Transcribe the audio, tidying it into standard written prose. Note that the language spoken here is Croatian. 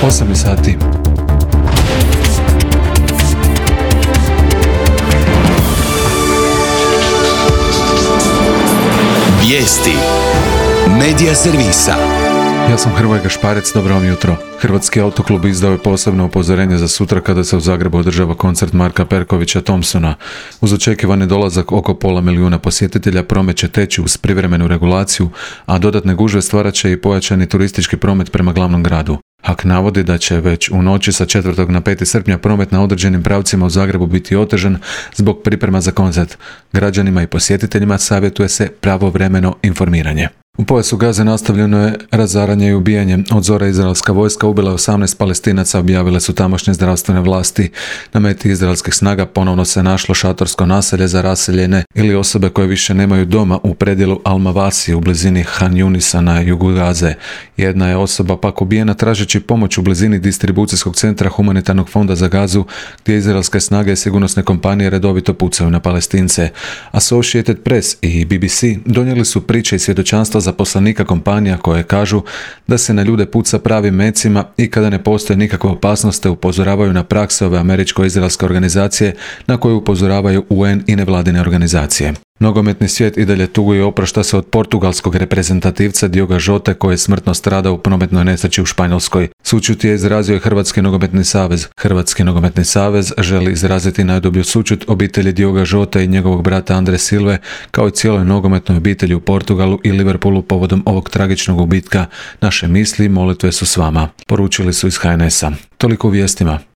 8 sati. Vijesti Medija servisa. Ja sam Hrvoje Gašparec, dobro vam jutro. Hrvatski autoklub izdao je posebno upozorenje za sutra kada se u Zagrebu održava koncert Marka Perkovića Thompsona. Uz očekivani dolazak oko 500.000 posjetitelja promet će teći uz privremenu regulaciju, a dodatne gužve stvarat će i pojačani turistički promet prema glavnom gradu. HAK navodi da će već u noći sa 4. na 5. srpnja promet na određenim pravcima u Zagrebu biti otežan zbog priprema za koncert. Građanima i posjetiteljima savjetuje se pravovremeno informiranje. U pojasu Gaze nastavljeno je razaranje i ubijanje. Od zore izraelska vojska ubila 18 Palestinaca, objavile su tamošnje zdravstvene vlasti. Na meti izraelskih snaga ponovno se našlo šatorsko naselje za raseljene ili osobe koje više nemaju doma u predjelu Al-Mawasi u blizini Han Yunisa na jugu Gaze. Jedna je osoba pak ubijena tražeći pomoć u blizini distribucijskog centra Humanitarnog fonda za Gazu, gdje izraelske snage i sigurnosne kompanije redovito pucaju na Palestince. Associated Press i BBC donijeli su priče i svjedočanstva zaposlenika kompanija koje kažu da se na ljude puca pravim mecima i kada ne postoje nikakva opasnost, te upozoravaju na prakse ove američko-izraelske organizacije na koju upozoravaju UN i nevladine organizacije. Nogometni svijet i dalje tuguje i oprašta se od portugalskog reprezentativca Dioga Jote koji je smrtno stradao u prometnoj nesreći u Španjolskoj. Sućut je izrazio i Hrvatski nogometni savez. Hrvatski nogometni savez želi izraziti najdublju sućut obitelji Dioga Jote i njegovog brata Andre Silve, kao i cijeloj nogometnoj obitelji u Portugalu i Liverpoolu povodom ovog tragičnog gubitka. Naše misli i molitve su s vama, poručili su iz HNS-a. Toliko u vijestima.